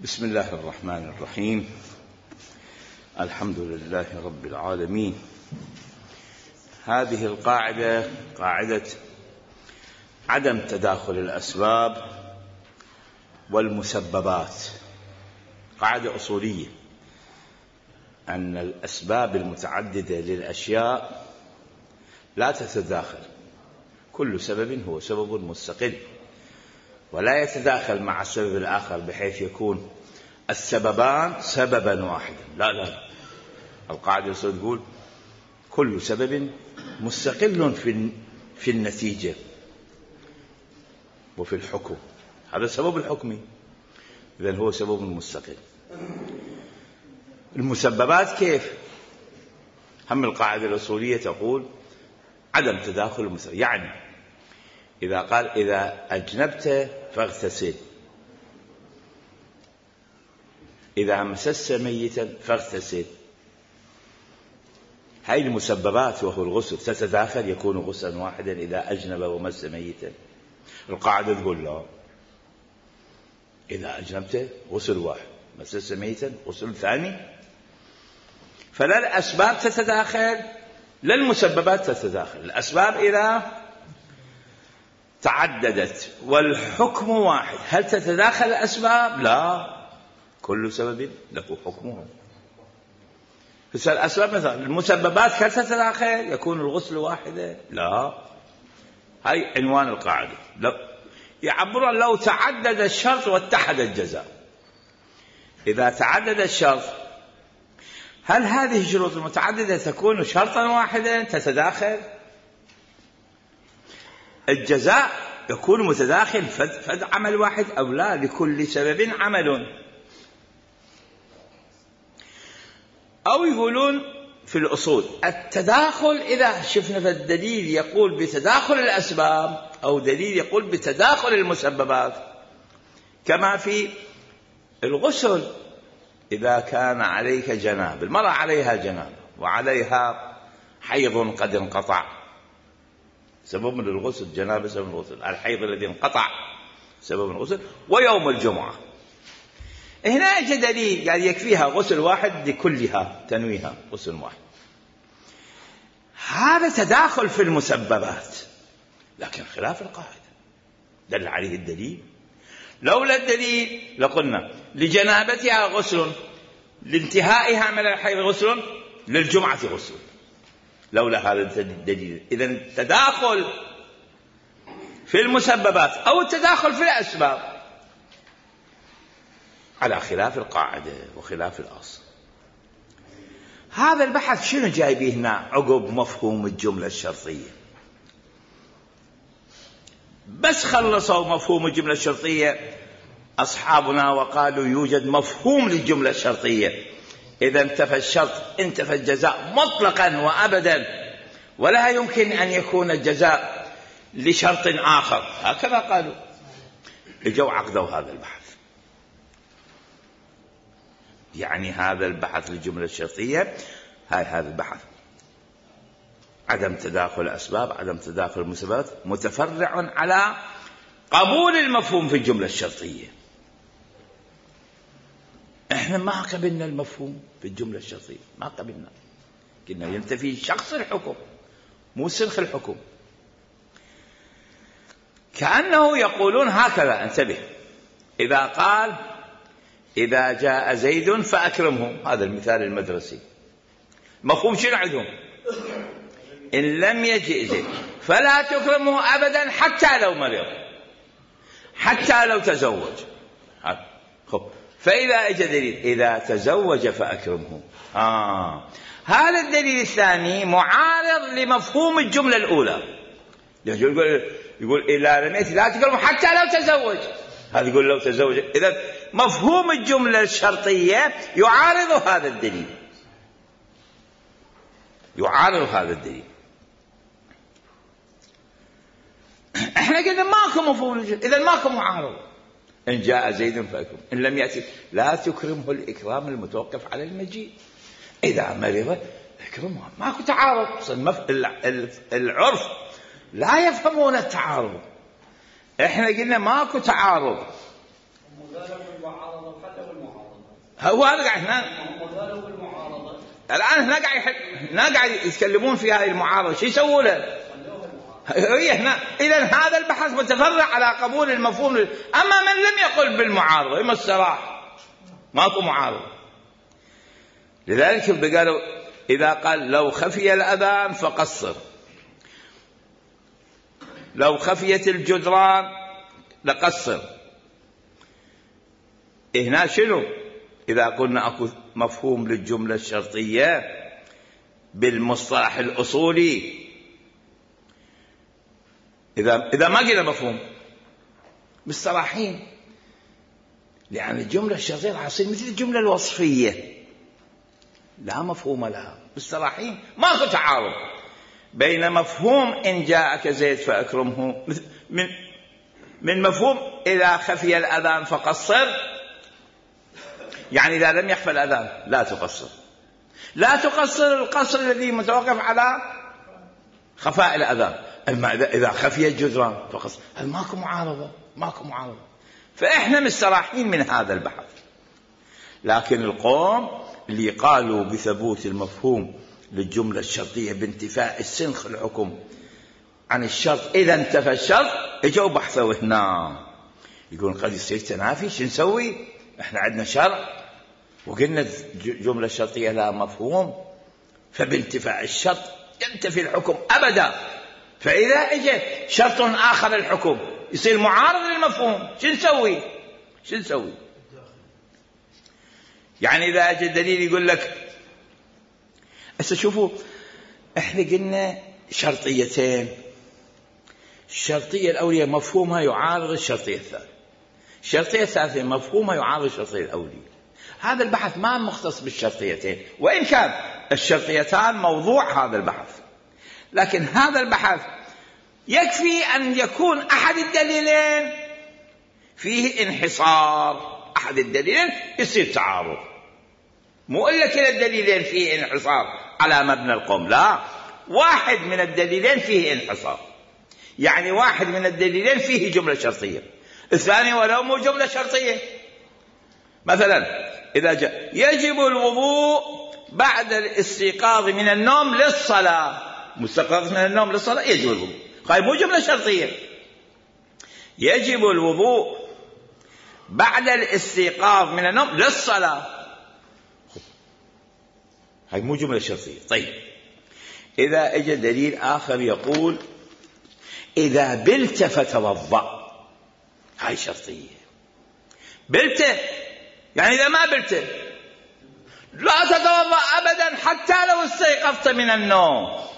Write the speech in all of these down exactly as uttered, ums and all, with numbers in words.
بسم الله الرحمن الرحيم. الحمد لله رب العالمين. هذه القاعدة قاعدة عدم تداخل الأسباب والمسببات، قاعدة أصولية أن الأسباب المتعددة للأشياء لا تتداخل، كل سبب هو سبب مستقل ولا يتداخل مع السبب الآخر بحيث يكون السببان سببا واحدا. لا لا القاعدة تقول كل سبب مستقل في في النتيجة وفي الحكم، هذا السبب الحكمي، إذن هو سبب مستقل. المسببات كيف؟ هم القاعدة الأصولية تقول عدم تداخل المسبب، يعني إذا قال إذا أجنبت فاغتسل، إذا مسست ميتا فاغتسل، هاي المسببات وهو الغسل تتداخل، يكون غسلا واحدا إذا أجنب ومس ميتا. القاعدة تقول لا، إذا أجنبت غسل واحد، مسست ميتا غسل ثاني. فلا الأسباب تتداخل لا المسببات تتداخل. الأسباب إذا تعددت والحكم واحد، هل تتداخل الأسباب؟ لا، كل سبب له حكمه. فالأسباب مثلا المسببات هل تتداخل؟ يكون الغسل واحدا؟ لا. هاي عنوان القاعدة. لو يعبر لو تعدد الشرط واتحد الجزاء. إذا تعدد الشرط، هل هذه الشروط المتعددة تكون شرطا واحدا تتداخل؟ الجزاء يكون متداخل فد, فد عمل واحد أو لا؟ لكل سبب عمل. أو يقولون في الأصول التداخل إذا شفنا في الدليل يقول بتداخل الأسباب أو دليل يقول بتداخل المسببات، كما في الغسل إذا كان عليك جنابة، المرأة عليها جنابة وعليها حيض قد انقطع، سبب من الغسل جنابة سبب من الغسل، الحيض الذي انقطع سبب من الغسل، ويوم الجمعة هنا اجى دليل قال يكفيها غسل واحد لكلها تنويها غسل واحد. هذا تداخل في المسببات لكن خلاف القاعدة، دل عليه الدليل. لولا الدليل لقلنا لجنابتها غسل، لانتهائها من الحيض غسل، للجمعة غسل، لولا هذا الدليل. إذن التداخل في المسببات أو التداخل في الأسباب على خلاف القاعدة وخلاف الأصل. هذا البحث شنو جايبه هنا عقب مفهوم الجملة الشرطية؟ بس خلصوا مفهوم الجملة الشرطية أصحابنا وقالوا يوجد مفهوم للجملة الشرطية، إذا انتفى الشرط انتفى الجزاء مطلقا وأبدا، ولا يمكن أن يكون الجزاء لشرط آخر، هكذا قالوا. اجوا عقدوا هذا البحث، يعني هذا البحث للجملة الشرطية، هاي هذا البحث عدم تداخل الأسباب عدم تداخل المسببات متفرع على قبول المفهوم في الجملة الشرطية. احنا ما قبلنا المفهوم في الجملة الشرطية، ما قبلنا، قلنا ينتفي شخص الحكم مو سنخ الحكم. كأنه يقولون هكذا، انتبه، إذا قال إذا جاء زيد فأكرمه، هذا المثال المدرسي، مفهوم شنو عندهم؟ إن لم يجئ زيد فلا تكرمه أبدا حتى لو مرض، حتى لو تزوج. خب فإذا اجى دليل إذا تزوج فأكرمه، آه هذا الدليل الثاني معارض لمفهوم الجملة الأولى. يقول يقول إذا رميت لا تكرمه حتى لو تزوج، هذا يقول لو تزوج. إذا مفهوم الجملة الشرطية يعارض هذا الدليل، يعارض هذا الدليل. احنا قلنا ماكو مفهوم، إذا ماكو معارض. إن جاء زيد فأكرم، إن لم يأتي لا تكرمه الإكرام المتوقف على المجيء، إذا مرض اكرمه، ماكو تعارض. العرف لا يفهمون التعارض، احنا قلنا ماكو تعارض، هو هذا قاعد هنا الآن هنا قاعد هنا قاعد يتكلمون في هذه المعارضة، شو يسووا له؟ هي هنا. إذا هذا البحث متفرع على قبول المفهوم، أما من لم يقل بالمعارضة إما الصراح ماكو معارضة. لذلك قالوا إذا قال لو خفي الأذان فقصر، لو خفيت الجدران لقصر. هنا شنو؟ إذا قلنا أكو مفهوم للجملة الشرطية بالمصطلح الأصولي، إذا إذا ما قلنا مفهوم بالصراحين، لأن الجملة الشرطية راح تصير مثل الجملة الوصفية لا مفهوم لها. بالصراحين ماكو تعارض بين مفهوم إن جاءك زيد فأكرمه من من مفهوم إذا خفي الأذان فقصر، يعني إذا لم يخفى الأذان لا تقصر. لا تقصر القصر الذي متوقف على خفاء الأذان. أما إذا خفي الجدران فقصر، هل ماكو معارضة؟ ماكو معارضة. فإحنا مستراحين من هذا البحث. لكن القوم اللي قالوا بثبوت المفهوم للجملة الشرطية بانتفاء السنخ الحكم عن الشرط إذا انتفى الشرط، اجوا بحثوا هنا يقولون قد يصير تنافي، شو نسوي؟ احنا عندنا شرع وقلنا الجملة الشرطية لها مفهوم، فبانتفاء الشرط ينتفي الحكم أبدا. فإذا اجى شرط آخر الحكم يصير معارض للمفهوم، شو نسوي؟ شو نسوي؟ يعني إذا اجى دليل يقول لك هسه شوفوا احنا قلنا شرطيتين، الشرطية الأولية مفهومها يعارض الشرطية الثانية، الشرطية الثالثة مفهومها يعارض الشرطية الأولية. هذا البحث ما مختص بالشرطيتين، وإن كان الشرطيتان موضوع هذا البحث، لكن هذا البحث يكفي أن يكون أحد الدليلين فيه انحصار، أحد الدليلين يصير تعارض، مو إلا كلا الدليلين فيه انحصار على مبنى القوم، لا، واحد من الدليلين فيه انحصار، يعني واحد من الدليلين فيه جملة شرطية، الثاني ولو مو جملة شرطية. مثلا إذا جاء يجب الوضوء بعد الاستيقاظ من النوم للصلاة، مستيقظ من النوم للصلاة يجب الوضوء، هاي مو جملة شرطية. يجب الوضوء بعد الاستيقاظ من النوم للصلاة، هاي مو جملة شرطية. طيب إذا اجى دليل آخر يقول إذا بلت فتوضأ، هاي شرطية. بلت يعني إذا ما بلت لا تتوضأ أبدا حتى لو استيقظت من النوم.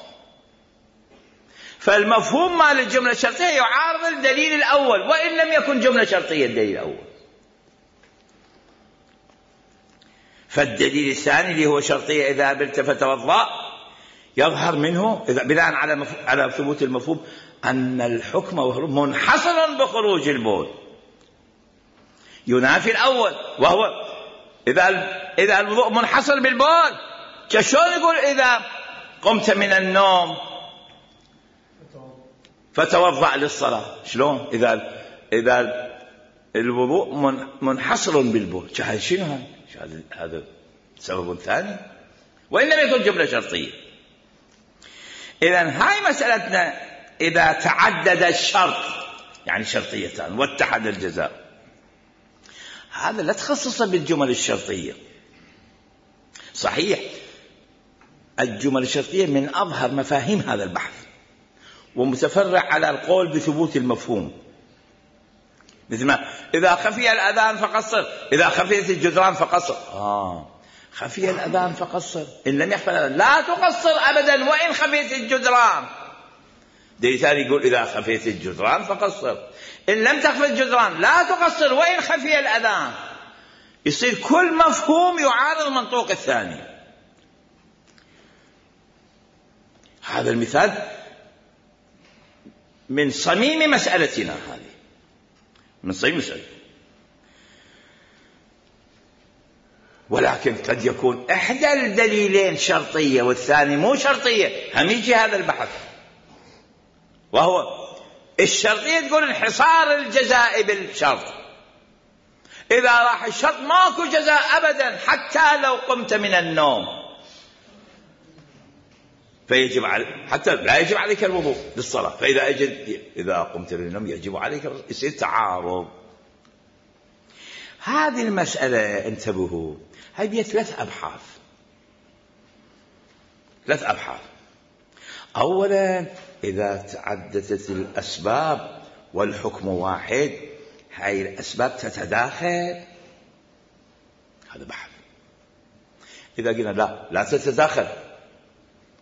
فالمفهوم مال الجملة الشرطية يعارض الدليل الأول وإن لم يكن جملة شرطية الدليل الأول. فالدليل الثاني اللي هو شرطية إذا بلت فتوضأ يظهر منه إذا بناء على مف... على ثبوت المفهوم أن الحكم منحصر بخروج البول، ينافي الأول وهو إذا إذا الوضوء منحصر بالبول. شلون يقول إذا قمت من النوم فتوضأ للصلاة؟ شلون إذا إذا الوضوء من منحصر بالبول؟ شنو هذا؟ هذا سبب ثاني وإن لم يكن جملة شرطية. إذن هاي مسألتنا إذا تعدد الشرط، يعني شرطيتان واتحد الجزاء، هذا لا تخصص بالجمل الشرطية. صحيح الجمل الشرطية من أظهر مفاهيم هذا البحث ومتفرع على القول بثبوت المفهوم، مثل ما إذا خفي الأذان فقصر، إذا خفيت الجدران فقصر. آه خفي الأذان فقصر، إن لم يخفى الأذان لا تقصر أبدا وإن خفيت الجدران. دليل ثاني يقول إذا خفيت الجدران فقصر، إن لم تخفي الجدران لا تقصر وإن خفي الأذان. يصير كل مفهوم يعارض المنطوق الثاني. هذا المثال من صميم مسألتنا، هذه من صميم مسألتنا. ولكن قد يكون إحدى الدليلين شرطية والثاني مو شرطية، هم يجي هذا البحث، وهو الشرطية تقول انحصار الجزاء بالشرط، إذا راح الشرط ماكو جزاء أبدا حتى لو قمت من النوم، فيجب على حتى لا يجب عليك الوضوء للصلاة. فإذا أجد إذا قمت من النوم يجب عليك، يصير تعارض. هذه المسألة انتبهوا، هاي بيها ثلاث أبحاث ثلاث أبحاث. أولا إذا تعددت الأسباب والحكم واحد، هاي الأسباب تتداخل، هذا بحث. إذا قلنا لا لا تتداخل،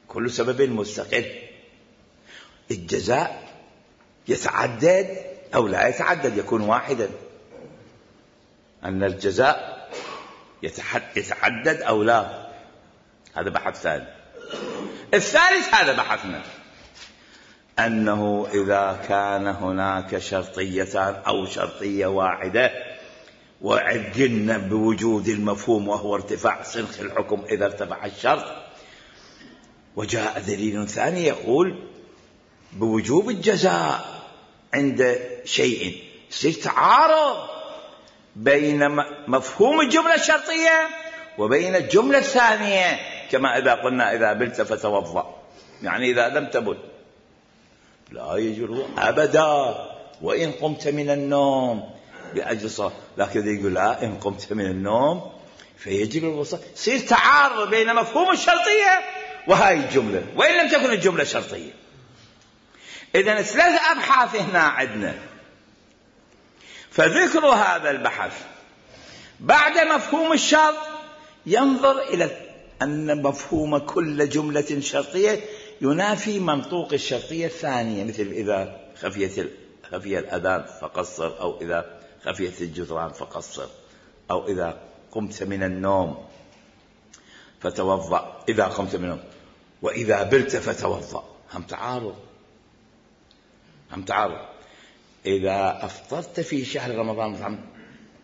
كل سبب مستقل، الجزاء يتعدد أو لا يتعدد، يكون واحدا، أن الجزاء يتعدد أو لا، هذا بحث ثاني. الثالث هذا بحثنا، أنه إذا كان هناك شرطيتان أو شرطية واحدة وعدلنا بوجود المفهوم وهو ارتفاع سنخ الحكم إذا ارتفع الشرط، وجاء دليل ثاني يقول بوجوب الجزاء عند شيء، يصير تعارض بين مفهوم الجملة الشرطية وبين الجملة الثانية، كما إذا قلنا إذا بلت فتوضأ، يعني إذا لم تبل لا يجوز أبدا وإن قمت من النوم لأجل صلاة، لكن يقول لا إن قمت من النوم فيجب الوضوء. يصير تعارض بين مفهوم الشرطية وهاي الجملة وإن لم تكن الجملة شرطية. إذن ثلاث أبحاث هنا عندنا. فذكر هذا البحث بعد مفهوم الشرط ينظر إلى أن مفهوم كل جملة شرطية ينافي منطوق الشرطية الثانية، مثل إذا خفيت خفي الأذان فقصر، أو إذا خفيت الجدران فقصر، أو إذا قمت من النوم فتوضأ، إذا قمت من النوم، وإذا بلت فتوضأ، هم تعارض هم تعارض. إذا أفطرت في شهر رمضان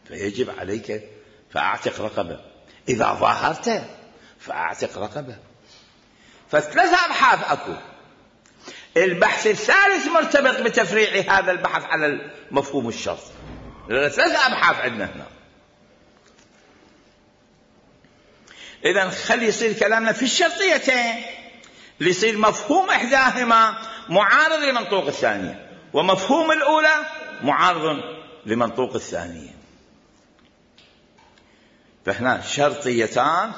فيجب عليك فأعتق رقبة، إذا ظاهرت فأعتق رقبة. فثلاثة أبحاث أكو. البحث الثالث مرتبط بتفريع هذا البحث على مفهوم الشرط. ثلاثة أبحاث عندنا هنا. إذن خلي يصير كلامنا في الشرطيتين ليصير مفهوم إحداهما معارض لمنطوق الثانية، ومفهوم الأولى معارض لمنطوق الثانية. فهنا شرطيتان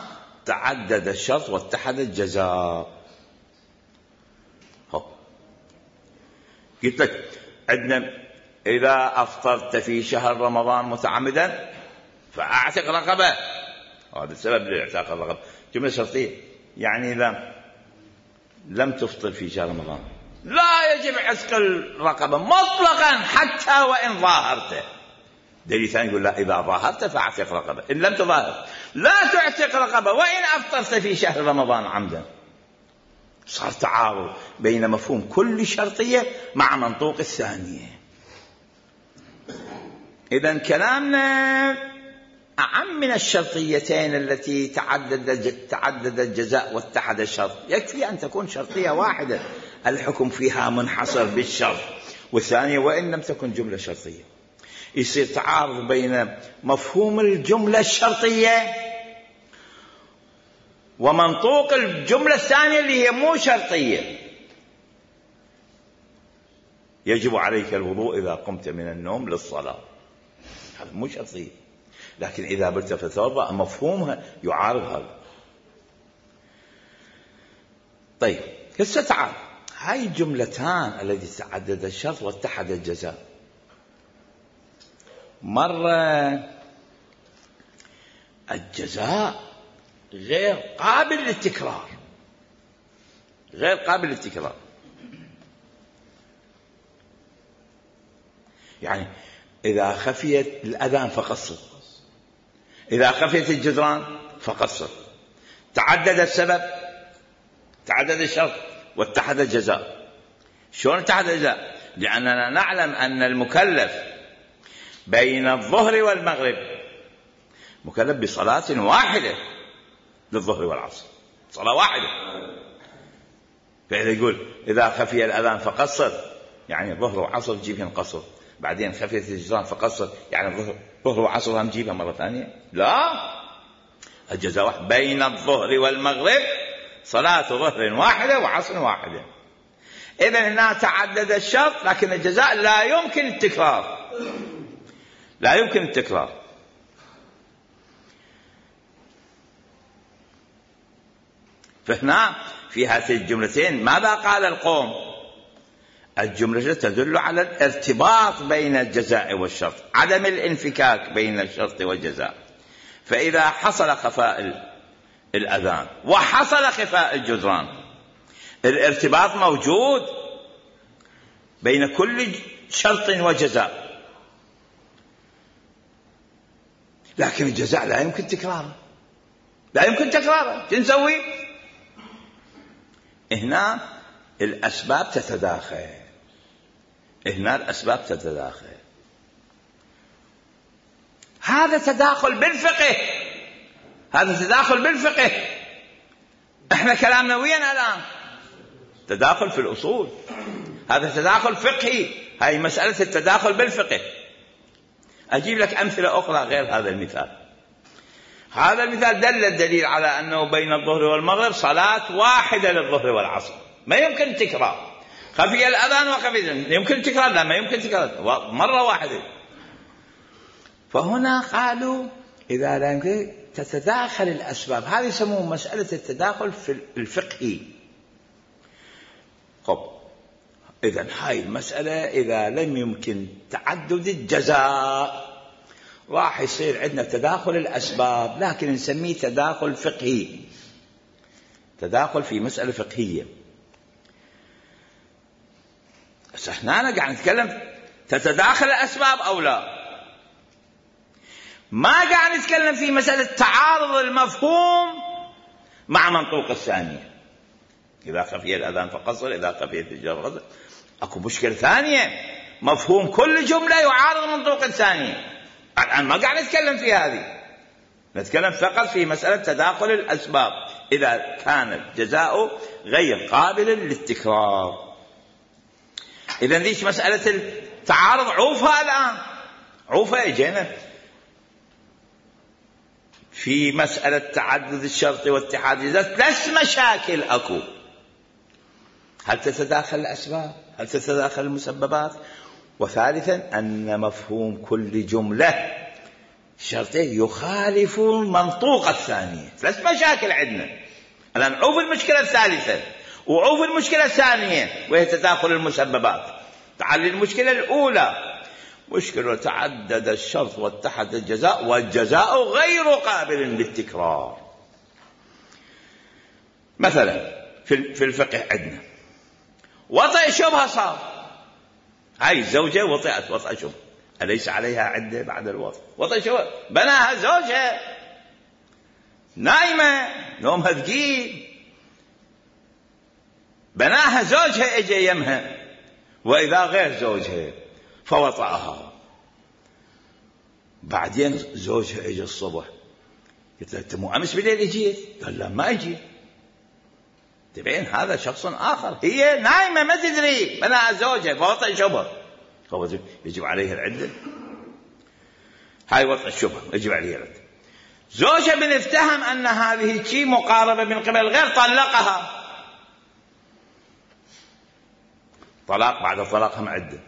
تعدد الشرط واتحد الجزاء. قلت لك عندنا إذا أفطرت في شهر رمضان متعمدا فأعتق رقبة، هذا السبب لإعتاق الرقبة، جملة شرطية، يعني إذا لم تفطر في شهر رمضان لا يجب عتق الرقبة مطلقا حتى وإن ظاهرت. دليل ثاني يقول لا إذا ظاهرت فأعتق رقبة، إن لم تظاهر لا تعتق رقبة وإن أفطرت في شهر رمضان عمدا. صار تعارض بين مفهوم كل شرطية مع منطوق الثانية. إذن كلامنا أعم من الشرطيتين التي تعدد تعدد الجزاء واتحد الشرط. يكفي أن تكون شرطية واحدة الحكم فيها منحصر بالشرط، والثانية وإن لم تكن جملة شرطية. يصير تعارض بين مفهوم الجملة الشرطية ومنطوق الجملة الثانية اللي هي مو شرطية. يجب عليك الوضوء إذا قمت من النوم للصلاة، هذا مو شرطية، لكن إذا بلت فتوضأ مفهومها يعارض هذا. طيب هسه تعال هاي الجملتان التي تعدد الشرط واتحد الجزاء، مرة الجزاء غير قابل للتكرار، غير قابل للتكرار، يعني إذا خفيت الأذان فقصر، إذا خفيت الجدران فقصر، تعدد السبب تعدد الشرط واتحد الجزاء. شلون اتحد الجزاء؟ لأننا نعلم أن المكلف بين الظهر والمغرب مكلف بصلاة واحدة للظهر والعصر، صلاة واحدة. فإذا يقول إذا خفي الأذان فقصر، يعني ظهر وعصر تجيبهن قصر، بعدين خفيت الجدران فقصر، يعني الظهر ظهر وعصر هم نجيبها مرة ثانية؟ لا، الجزاء واحد. بين الظهر والمغرب صلاة ظهر واحدة وعصر واحدة. إذا هنا تعدد الشرط، لكن الجزاء لا يمكن التكرار، لا يمكن التكرار. فهنا في هاتين الجملتين ماذا قال القوم؟ الجملة تدل على الارتباط بين الجزاء والشرط، عدم الانفكاك بين الشرط والجزاء. فإذا حصل خفاء الأذان وحصل خفاء الجدران، الارتباط موجود بين كل شرط وجزاء، لكن الجزاء لا يمكن تكراره، لا يمكن تكراره. شو نسوي؟ هنا الأسباب تتداخل، هنا الأسباب تتداخل. هذا تداخل بالفقه، هذا تداخل بالفقه. احنا كلامنا وين الآن؟ تداخل في الأصول، هذا تداخل فقهي، هاي مسألة التداخل بالفقه. أجيب لك أمثلة أخرى غير هذا المثال. هذا المثال دل الدليل على أنه بين الظهر والمغرب صلاة واحدة للظهر والعصر، ما يمكن تكرار. خفي الأذان وخفي الأذان، يمكن تكرار؟ لا، ما يمكن تكرار، مرة واحدة. فهنا قالوا إذا لا يمكن تتداخل الأسباب، هذه يسموه مسألة التداخل في الفقهي. طب إذن هاي المسألة إذا لم يمكن تعدد الجزاء راح يصير عندنا تداخل الأسباب، لكن نسميه تداخل فقهي، تداخل في مسألة فقهية. بس احنا أنا قاعد نتكلم تتداخل الأسباب أو لا، ما قاعد نتكلم في مسألة تعارض المفهوم مع منطوق الثانية. إذا خفي الأذان فقصر، إذا خفيت الجر فقصر. أكو مشكلة ثانية، مفهوم كل جملة يعارض منطوق الثانية. الآن ما قاعد نتكلم في هذه، نتكلم فقط في مسألة تداخل الأسباب إذا كان الجزاء غير قابل للتكرار. إذن ليش مسألة التعارض عوفها الآن، عوفها اجينا في مسألة تعدد الشرط واتحاد الجزاء. ثلاث مشاكل أكو: هل تتداخل الأسباب؟ هل تتداخل المسببات؟ وثالثا أن مفهوم كل جملة شرطين يخالف منطوق الثانية. ثلاث مشاكل عندنا الآن. عوف المشكلة الثالثة وعوف المشكلة الثانية وهي تداخل المسببات. تعال المشكلة الأولى، مشكلة تعدد الشرط واتحد الجزاء والجزاء غير قابل للتكرار. مثلا في الفقه عندنا وطئ شبهة صار، هاي الزوجة وطئت وطئ شبهة، أليس عليها عدة بعد الوطئ؟ وطئ شبهة، بناها زوجها، نايمة نومها ثقيل، بناها زوجها اجى يمها، وإذا غير زوجها فوطأها. بعدين زوجها اجى الصبح، قلت له: أنت مو أمس بالليل اجيت؟ قال: لا ما اجيت. تبين هذا شخص آخر، هي نايمة ما تدري، بناها زوجها فوطأ شبهة، يجب عليها العدة. هاي وطأ الشبهة يجب عليها العدة. زوجها بنفتهم أن هذه شيء مقاربة من قبل الغير، طلقها، طلاق بعد الطلاق هم عدة،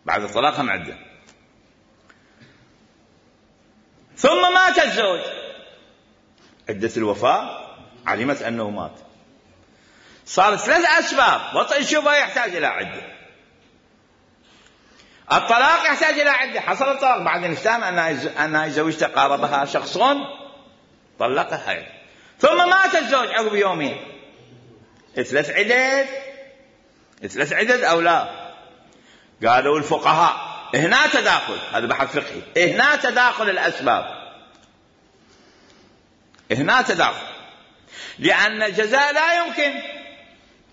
بعد الطلاق هم عدة. ثم مات الزوج، عدة الوفاة، علمت أنه مات، صارت ثلاث أسباب. وطئ الشبهة يحتاج إلى عدة، الطلاق يحتاج إلى عدة، حصل الطلاق، بعدين افتهم أنها زوجته قاربها شخص طلقها، ثم مات الزوج عقب يومين. ثلاث عدد، ثلاث عدد أو لا؟ قالوا الفقهاء هنا تداخل، هذا بحث فقهي، هنا تداخل الأسباب، هنا تداخل، لأن الجزاء لا يمكن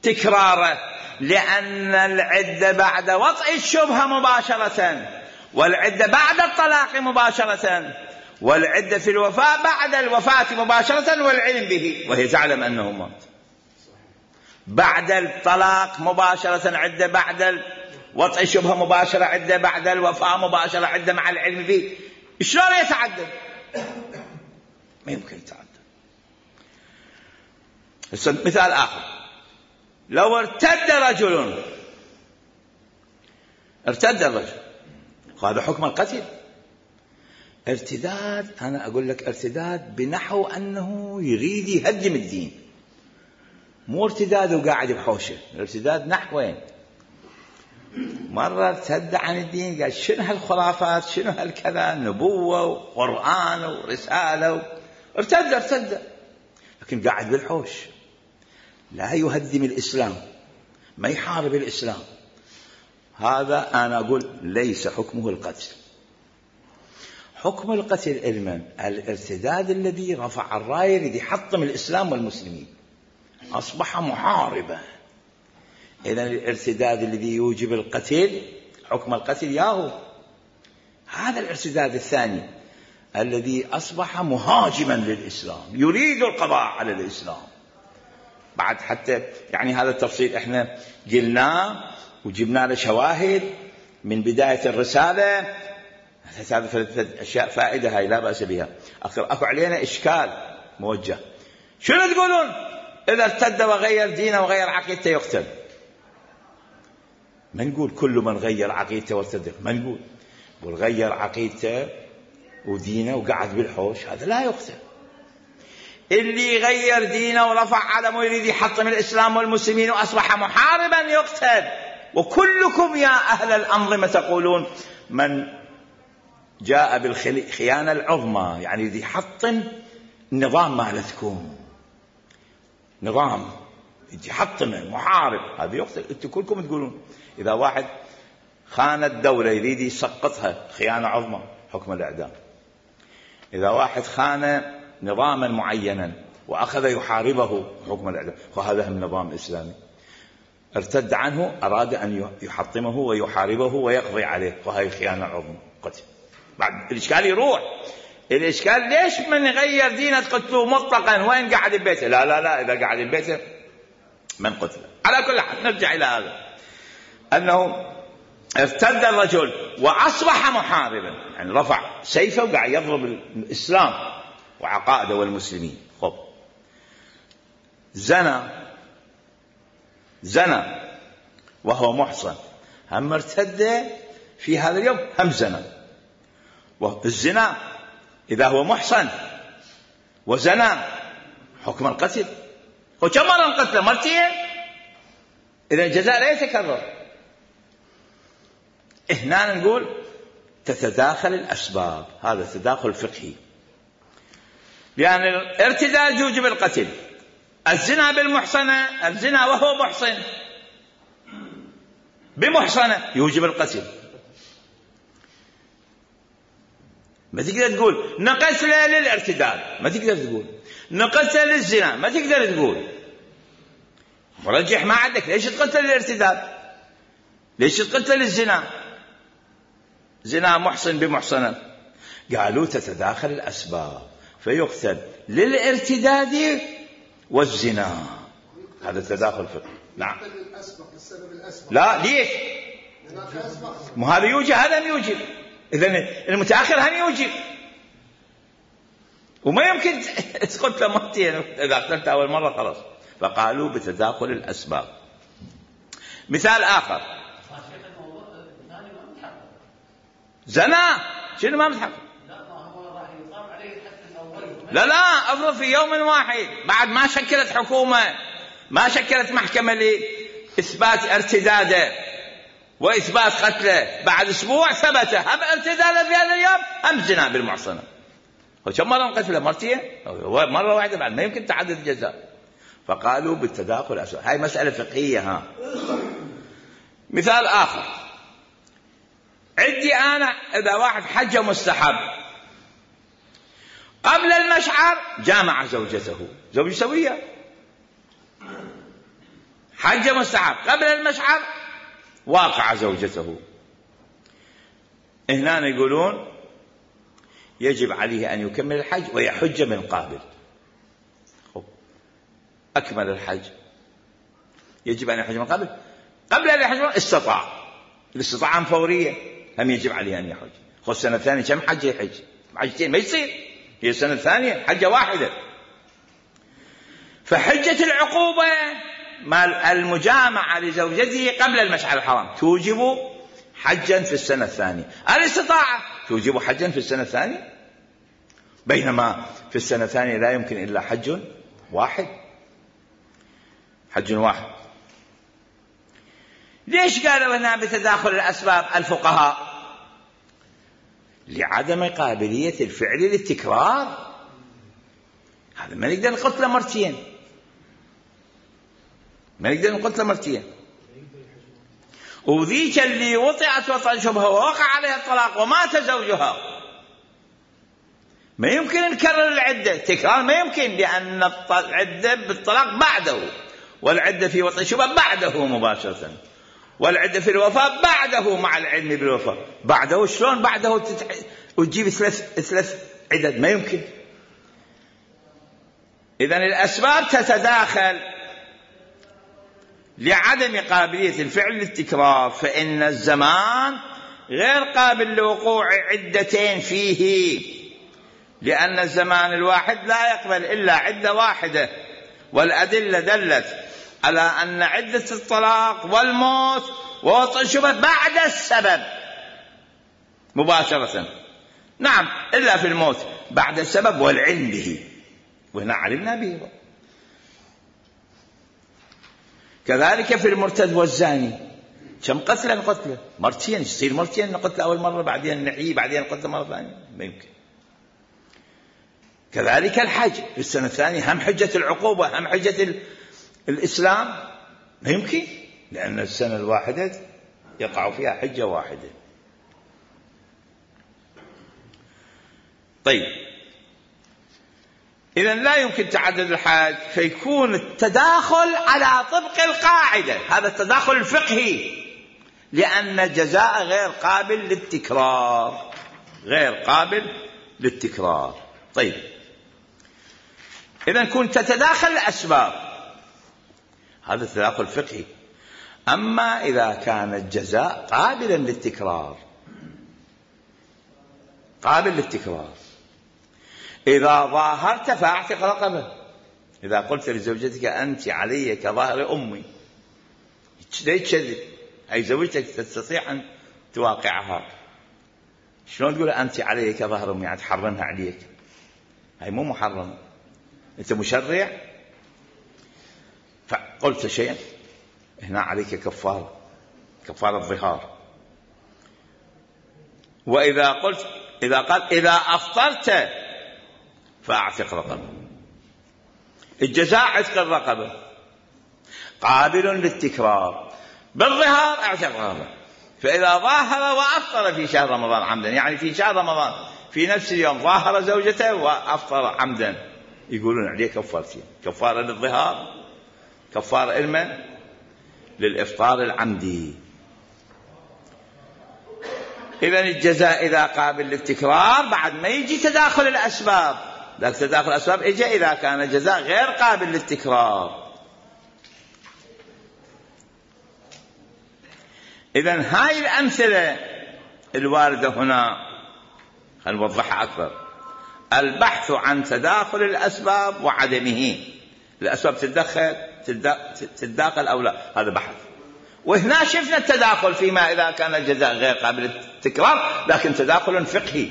تكراره، لأن العدة بعد وطئ الشبهة مباشرة، والعدة بعد الطلاق مباشرة، والعدة في الوفاة بعد الوفاة مباشرة والعلم به، وهي تعلم أنه مات. بعد الطلاق مباشرة عدة، بعد وضع شبهة مباشرة عنده بعد الوفاة، مباشرة عنده مع العلم فيه، شلون يتعدد؟ ما يمكن يتعدد. مثال آخر، لو ارتد رجل، ارتد الرجل، هذا حكم القتل. ارتداد، أنا أقول لك ارتداد بنحو أنه يريد يهدم الدين، مو ارتداد وقاعد بحوشه. الارتداد نحوين، مرة ارتد عن الدين قال شنو هالخرافات، شنو هالكذا، نبوة وقرآن ورسالة و... ارتد ارتد لكن قاعد بالحوش، لا يهدم الإسلام، ما يحارب الإسلام. هذا أنا أقول ليس حكمه القتل. حكم القتل علما الارتداد الذي رفع الراية يريد يحطم الإسلام والمسلمين، أصبح محاربا. إذن الارتداد الذي يوجب القتل حكم القتل ياهو. هذا الارتداد الثاني الذي أصبح مهاجما للإسلام، يريد القضاء على الإسلام. بعد حتى يعني هذا التفصيل احنا قلناه وجبنا له شواهد من بداية الرسالة. هذا ثلاثة أشياء فائدة هاي لا بأس بها. أكو علينا إشكال موجه، شنو تقولون إذا ارتد وغير دينه وغير عقيدته يقتل؟ ما نقول كل من غير عقيدته وارتد، ما نقول نقول غير عقيدته ودينه وقعد بالحوش هذا لا يقتل. اللي غير دينه ورفع علمه يريد يحطم الإسلام والمسلمين وأصبح محاربا يقتل. وكلكم يا أهل الأنظمة تقولون من جاء بالخيانة العظمى يعني يريد يحطم النظام مالتكم، نظام يحطمه محارب هذا يقتل. انتم كلكم تقولون إذا واحد خان الدولة يريد يسقطها خيانة عظمى حكم الإعدام. إذا واحد خان نظاما معينا وأخذ يحاربه حكم الإعدام، وهذا هم نظام إسلامي ارتد عنه أراد أن يحطمه ويحاربه ويقضي عليه، وهي خيانة عظمى قتل. بعد الإشكال يروح، الإشكال ليش من غير دينه تقتلوه مطلقا وين قاعد ببيته؟ لا لا لا إذا قاعد ببيته من قتله. على كل حال نرجع إلى هذا أنه ارتد الرجل وأصبح محاربا، يعني رفع سيفه وقاعد يضرب الإسلام وعقائده والمسلمين. خب زنى زنى وهو محصن، هم ارتد في هذا اليوم هم زنى. والزنا إذا هو محصن وزنى حكم القتل. وكم مرة قتله؟ مرتين. إذا الجزاء لا يتكرر. هنا نقول تتداخل الأسباب، هذا تداخل فقهي، لأن الارتداد يوجب القتل. الزنا بالمحصنة، الزنا وهو محصن بمحصنة يوجب القتل. ما تقدر تقول نقتل للارتداد، ما تقدر تقول نقتل للزنا، ما تقدر تقول. مرجح ما عندك، ليش تقتل للارتداد؟ ليش تقتل للزنا؟ زنا محصن بمحصنة. قالوا تتداخل الأسباب فيقتل للارتداد والزنا، هذا تداخل فقهي. نعم. لا ليش؟ مو هذا يوجب هذا ما يوجب، إذن المتأخر هم يوجب، وما يمكن تقتل مرتين إذا قتلت أول مرة خلاص. فقالوا بتداخل الأسباب. مثال آخر، زنا شنو ما متحقق؟ لا لا أفرض في يوم واحد بعد ما شكلت حكومة، ما شكلت محكمة لإثبات ارتداده وإثبات قتله، بعد أسبوع ثبت هم ارتداده في هذا اليوم هم زنا بالمحصنة. وكم مرة قتله؟ مرتين، مرة واحدة، بعد ما يمكن تعدد الجزاء. فقالوا بالتداخل أسباب. هاي مسألة فقهية. ها مثال آخر، عندي أنا إذا واحد حج مستحب قبل المشعر جامع زوجته، زوج سوية، حج مستحب قبل المشعر واقع زوجته. هنا يقولون يجب عليه أن يكمل الحج ويحج من قابل. أكمل الحج، يجب أن يحج من قبل، قبل أن يحج استطاع الاستطاعة فورية هم يجب عليه أن يحج. خذ السنة الثانية كم حجة يحج؟ حجتين ما يصير، هي السنة الثانية حجة واحدة. فحجة العقوبة مال المجامعة لزوجته قبل المشعر الحرام توجب حجا في السنة الثانية. الاستطاعة توجب حجا في السنة الثانية، بينما في السنة الثانية لا يمكن إلا حج واحد، حج واحد. ليش قالوا هنا بتداخل الأسباب الفقهاء؟ لعدم قابلية الفعل للتكرار. هذا ما نقدر نقتله مرتين، ما نقدر نقتله مرتين. وذيك اللي وطئت وطئ شبهه ووقع عليها الطلاق ومات زوجها ما يمكن نكرر العدة، تكرار ما يمكن، لأن العدة بالطلاق بعده، والعدة في وطئ شبهه بعده مباشرة، والعدة في الوفاة بعده مع العلم بالوفاة بعده. شلون بعده تتع... وتجيب ثلاث ثلاث عدد؟ ما يمكن. إذن الأسباب تتداخل لعدم قابلية الفعل للتكرار، فإن الزمان غير قابل لوقوع عدتين فيه، لأن الزمان الواحد لا يقبل إلا عدة واحدة، والأدلة دلت على أن عدة الطلاق والموت ووطئ الشبهة بعد السبب مباشرة. نعم، إلا في الموت بعد السبب والعلم به، وهنا علمنا به. كذلك في المرتد والزاني كم قتلا قتله؟ مرتين، يصير مرتين، نقتل أول مرة بعدين نحيي بعدين نقتل مرة ثانية، ما يمكن. كذلك الحج في السنة الثانية هم حجة العقوبة هم حجة الإسلام، ما يمكن، لأن السنة الواحدة يقع فيها حجة واحدة. طيب، إذن لا يمكن تعدد الحج، فيكون التداخل على طبق القاعدة، هذا التداخل الفقهي، لأن الجزاء غير قابل للتكرار، غير قابل للتكرار. طيب، إذن كنت تتداخل الأسباب، هذا التداخل فقهي. أما إذا كان الجزاء قابلا للتكرار، قابل للتكرار، إذا ظاهرت فاعتق رقبة. إذا قلت لزوجتك أنت علي كظهر أمي، ليش تكذب؟ أي زوجتك تستطيع أن تواقعها، شلون تقول أنت علي كظهر أمي؟ يعني تحرمها عليك، هاي مو محرمة، أنت مشرع. فقلت شيئا، هنا عليك كفارة، كفارة ظهار. وإذا قلت إذا قال إذا أفطرت فأعتق رقبة، الجزاء عتق الرقبة قابل للتكرار، بالظهار اعتق رقبة. فإذا ظاهر وأفطر في شهر رمضان عمدا، يعني في شهر رمضان في نفس اليوم ظاهر زوجته وأفطر عمدا، يقولون عليه كفارتين، كفارة للظهار، كفارة علما للإفطار العمدي. إذن الجزاء إذا قابل للتكرار بعد ما يجي تداخل الأسباب، لكن تداخل الأسباب إجا إذا كان الجزاء غير قابل للتكرار. إذن هاي الأمثلة الواردة هنا خلينا نوضحها أكثر. البحث عن تداخل الأسباب وعدمه، الأسباب تتدخل تتداخل أو لا، هذا بحث. وهنا شفنا التداخل فيما إذا كان الجزاء غير قابل للتكرار، لكن تداخل فقهي.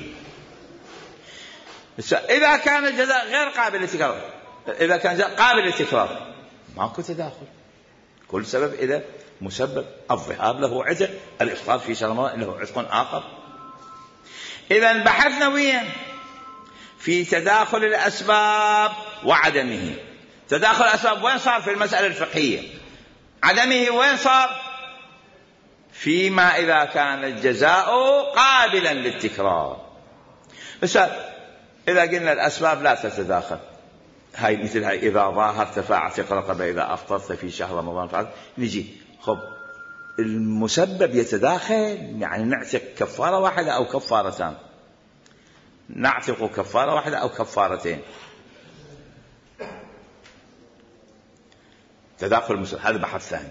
إذا كان الجزاء غير قابل للتكرار، إذا كان الجزاء قابل للتكرار ماكو تداخل، كل سبب إذا مسبب. الظهار له عتق، الإفطار في شهر رمضان له عتق آخر. إذا بحثنا وين في تداخل الأسباب وعدمه. تداخل الأسباب وين صار؟ في المسألة الفقهية. عدمه وين صار؟ فيما إذا كان الجزاء قابلا للتكرار. بس إذا قلنا الأسباب لا تتداخل، هاي مثل هاي إذا ظاهرت فاعتق رقبة، إذا أفطرت في شهر رمضان فعل، نجي خب المسبب يتداخل، يعني نعتق كفارة واحدة أو كفارتان، نعتق كفارة واحدة أو كفارتين. تداخل المسبب، هذا بحث ثاني.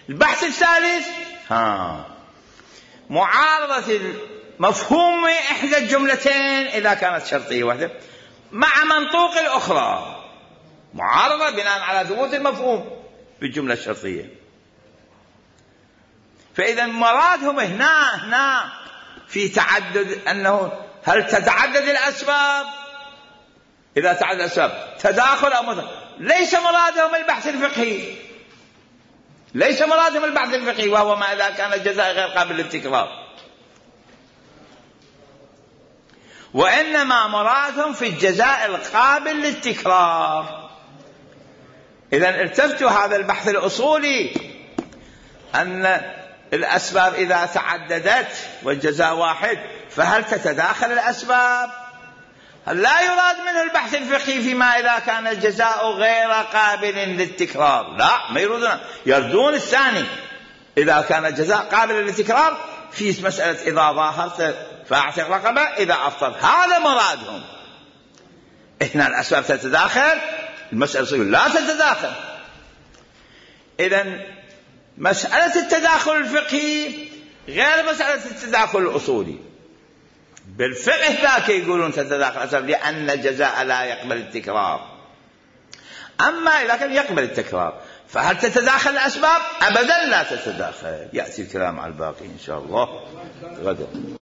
البحث الثالث ها معارضة مفهوم إحدى الجملتين إذا كانت شرطية واحدة مع منطوق الأخرى، معارضة بناء على ثبوت المفهوم بالجملة الشرطية. فإذا مرادهم هنا هنا في تعدد، أنه هل تتعدد الأسباب؟ إذا تعدد الأسباب تداخل أو مداخل. ليس مرادهم البحث الفقهي، ليس مرادهم البحث الفقهي، وهو ما إذا كان الجزاء غير قابل للتكرار، وإنما مرادهم في الجزاء القابل للتكرار. إذا التفتوا هذا البحث الأصولي أن الأسباب إذا تعددت والجزاء واحد فهل تتداخل الأسباب؟ لا يراد منه البحث الفقهي فيما إذا كان الجزاء غير قابل للتكرار، لا، ما يريدون، يردون الثاني إذا كان الجزاء قابل للتكرار في مسألة إذا ظاهرت فاعتق رقبة إذا أفطر، هذا مرادهم. إحنا الأسباب تتداخل، المسألة لا تتداخل. إذن مسألة التداخل الفقهي غير مسألة التداخل الأصولي. بالفقه ذاك يقولون تتداخل الأسباب لأن الجزاء لا يقبل التكرار، أما إذا كان يقبل التكرار فهل تتداخل الأسباب؟ أبدا لا تتداخل. يأتي الكلام على الباقي إن شاء الله غدا.